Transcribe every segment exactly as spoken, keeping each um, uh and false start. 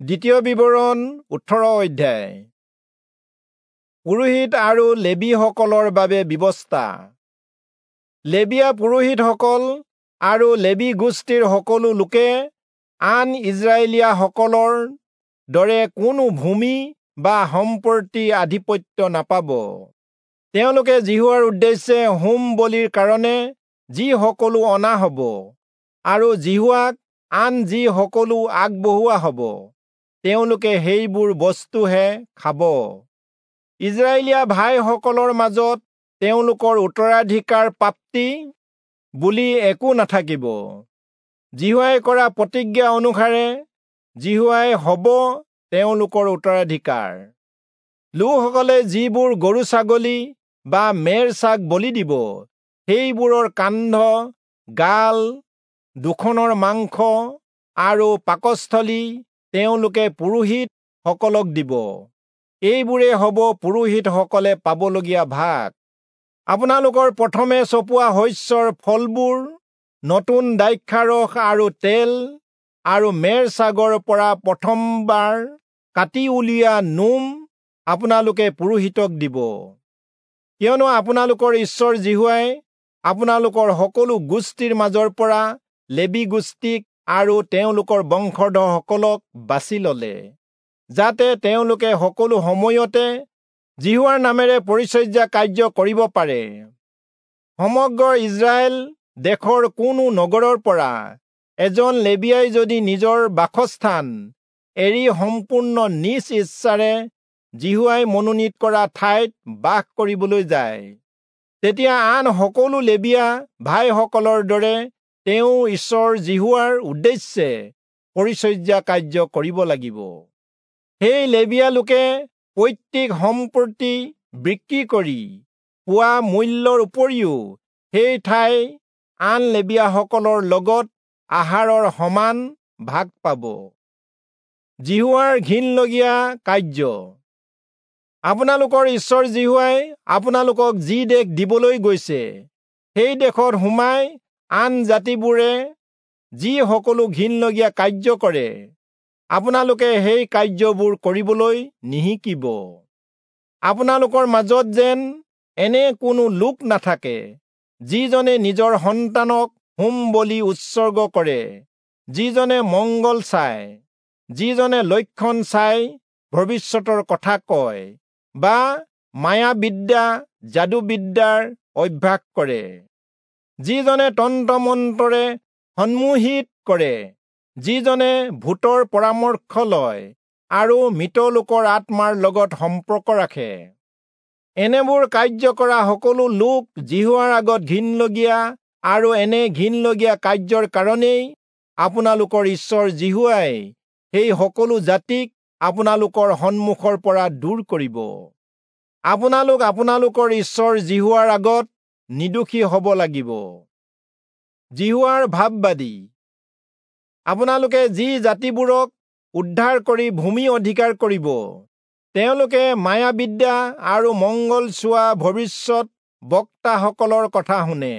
দ্বিতীয় বিৱৰণ ওঠৰ অধ্যায়। পুৰোহিত আৰু লেবীসকলৰ বাবে ব্যৱস্থা। লেবীয়া পুৰোহিতসকল আৰু লেবী গোষ্ঠীৰ সকলো লোকে আন ইস্ৰায়েলীয়াসকলৰ দৰে কোনো ভূমি বা সম্পত্তি আধিপত্য নাপাব। তেওঁলোকে যিহোৱাৰ উদ্দেশ্যে হোম বলিৰ কাৰণে যি সকলো অনা হ'ব আৰু যিহোৱাক আন যি সকলো আগবঢ়োৱা হ'ব, তেওঁলোকে সেইবোৰ বস্তুহে খাব। ইস্ৰায়েলীয়া ভাইসকলৰ মাজত তেওঁলোকৰ উত্তৰাধিকাৰ প্ৰাপ্তি বুলি একো নাথাকিব। যিহোৱাই কৰা প্ৰতিজ্ঞা অনুসাৰে যিহোৱাই হ'ব তেওঁলোকৰ উত্তৰাধিকাৰ। লোকসকলে যিবোৰ গৰু ছাগলী বা মেৰ ছাগ বলি দিব, সেইবোৰৰ কান্ধ, গাল দুখনৰ মাংস আৰু পাকস্থলী তেওঁলোকে পুৰোহিত সকলক দিব। এইবোৰে হ'ব পুৰোহিতসকলে পাবলগীয়া ভাগ। আপোনালোকৰ প্ৰথমে চপোৱা শস্যৰ ফলবোৰ, নতুন দ্ৰাক্ষাৰস আৰু তেল আৰু মেৰ ছাগৰ পৰা প্ৰথমবাৰ কাটি উলিওৱা নোম আপোনালোকে পুৰোহিতক দিব। কিয়নো আপোনালোকৰ ঈশ্বৰ যিহোৱাই আপোনালোকৰ সকলো গোষ্ঠীৰ মাজৰ পৰা লেবী গোষ্ঠীক আৰু তেওঁলোকৰ বংশধৰসকলক বাছি ললে, যাতে তেওঁলোকে সকলো সময়তে যিহোৱাৰ নামেৰে পৰিচৰ্যা কাৰ্য কৰিব পাৰে। সমগ্ৰ ইস্ৰায়েল দেশৰ কোনো নগৰৰ পৰা এজন লেবীয়াই যদি নিজৰ বাসস্থান এৰি সম্পূৰ্ণ নিজ ইচ্ছাৰে যিহোৱাই মনোনীত কৰা ঠাইত বাস কৰিবলৈ যায়, তেতিয়া আন সকলো লেবীয়া ভাইসকলৰ দৰে তেওঁ ঈশ্বৰ যিহোৱাৰ উদ্দেশ্যে পৰিচৰ্যা কাৰ্য কৰিব লাগিব। সেই লেবীয়া লোকে পৈতৃক সম্পত্তি বিক্ৰী কৰি পোৱা মূল্যৰ উপৰিও সেই ঠাই আন লেবীয়াসকলৰ লগত আহাৰৰ সমান ভাগ পাব। যিহোৱাৰ ঘিণলগীয়া কাৰ্য। আপোনালোকৰ ঈশ্বৰ যিহোৱাই আপোনালোকক যি দেশ দিবলৈ গৈছে, সেই দেশত সোমাই আন জাতিবোৰে যি সকলো ঘিণলগীয়া কাৰ্য কৰে, আপোনালোকে সেই কাৰ্যবোৰ কৰিবলৈ নিশিকিব। আপোনালোকৰ মাজত যেন এনে কোনো লোক নাথাকে যিজনে নিজৰ সন্তানক হোম বলি উৎসৰ্গ কৰে, যিজনে মংগল চায়, যিজনে লক্ষণ চাই ভৱিষ্যতৰ কথা কয় বা মায়াবিদ্যা যাদুবিদ্যাৰ অভ্যাস কৰে, যিজনে তন্ত্ৰমন্ত্ৰৰে সন্মোহিত কৰে, যিজনে ভূতৰ পৰামৰ্শ লয় আৰু মৃত লোকৰ আত্মাৰ লগত সম্পৰ্ক ৰাখে। এনেবোৰ কাৰ্য কৰা সকলো লোক যিহোৱাৰ আগত ঘিণলগীয়া আৰু এনে ঘিণলগীয়া কাৰ্যৰ কাৰণেই আপোনালোকৰ ঈশ্বৰ যিহোৱাই সেই সকলো জাতিক আপোনালোকৰ সন্মুখৰ পৰা দূৰ কৰিব। আপোনালোক আপোনালোকৰ ঈশ্বৰ যিহোৱাৰ আগত নিৰ্দোষী হ'ব লাগিব। যিহোৱাৰ ভাববাদী। আপোনালোকে যি জাতিবোৰক উদ্ধাৰ কৰি ভূমি অধিকাৰ কৰিব, তেওঁলোকে মায়াবিদ্যা আৰু মংগল চোৱা ভৱিষ্যত বক্তাসকলৰ কথা শুনে।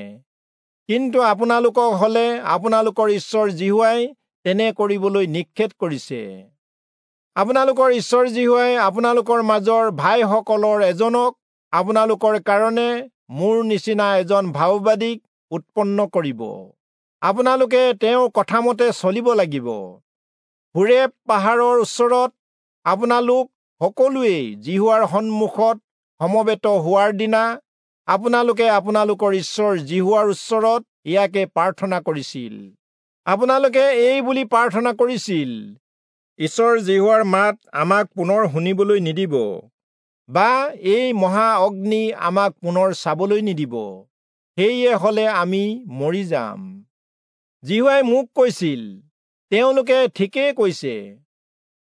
কিন্তু আপোনালোকক হলে আপোনালোকৰ ঈশ্বৰ যিহোৱাই তেনে কৰিবলৈ নিষেধ কৰিছে। আপোনালোকৰ ঈশ্বৰ যিহোৱাই আপোনালোকৰ মাজৰ ভাইসকলৰ এজনক আপোনালোকৰ কাৰণে মোৰ নিচিনা এজন ভাববাদীক উৎপন্ন কৰিব। আপোনালোকে তেওঁৰ কথামতে চলিব লাগিব। হোৰেব পাহাৰৰ ওচৰত আপোনালোক সকলোৱেই যিহোৱাৰ সন্মুখত সমবেত হোৱাৰ দিনা আপোনালোকে আপোনালোকৰ ঈশ্বৰ যিহোৱাৰ ওচৰত ইয়াকে প্ৰাৰ্থনা কৰিছিল। আপোনালোকে এই বুলি প্ৰাৰ্থনা কৰিছিল, ঈশ্বৰ যিহোৱাৰ মাত আমাক পুনৰ শুনিবলৈ নিদিব বা এই মহা অগ্নি আমাক পুনৰ চাবলৈ নিদিব, সেয়ে হলে আমি মৰি যাম। যিহোৱাই মোক কৈছিল, তেওঁলোকে ঠিকেই কৈছে।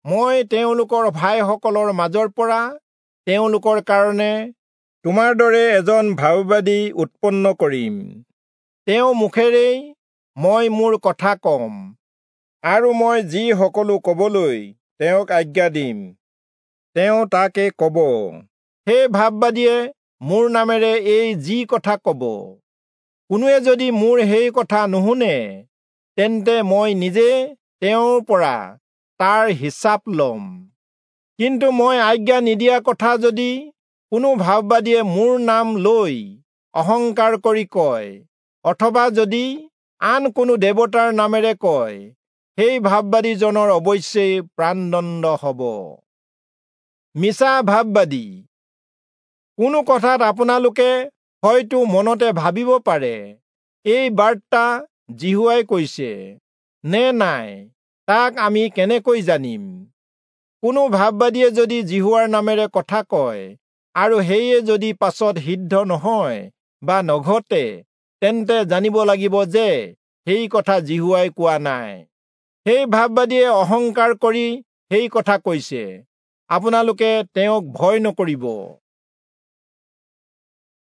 মই তেওঁলোকৰ ভাইসকলৰ মাজৰ পৰা তেওঁলোকৰ কাৰণে তোমাৰ দৰে এজন ভাববাদী উৎপন্ন কৰিম। তেওঁ মুখেৰেই মই মোৰ কথা কম আৰু মই যি সকলো কবলৈ তেওঁক আজ্ঞা দিম, তেওঁ তাকে কব। সেই ভাববাদীয়ে মোৰ নামেৰে এই যি কথা কব, কোনোৱে যদি মোৰ সেই কথা নুশুনে, তেন্তে মই নিজে তেওঁৰ পৰা তাৰ হিচাপ ল'ম। কিন্তু মই আজ্ঞা নিদিয়া কথা যদি কোনো ভাববাদীয়ে মোৰ নাম লৈ অহংকাৰ কৰি কয়, অথবা যদি আন কোনো দেৱতাৰ নামেৰে কয়, সেই ভাববাদীজনৰ অৱশ্যেই প্ৰাণদণ্ড হ'ব। মিছা ভাববাদী। কোনো কথাত আপোনালোকে হয়তো মনতে ভাবিব পাৰে, এই বাৰ্তা যিহোৱাই কৈছে নে নাই তাক আমি কেনেকৈ জানিম? কোনো ভাববাদীয়ে যদি যিহোৱাৰ নামেৰে কথা কয় আৰু সেয়ে যদি পাছত সিদ্ধ নহয় বা নঘটে, তেন্তে জানিব লাগিব যে সেই কথা যিহোৱাই কোৱা নাই। সেই ভাববাদীয়ে অহংকাৰ কৰি সেই কথা কৈছে। আপোনালোকে তেওঁক ভয় নকৰিব।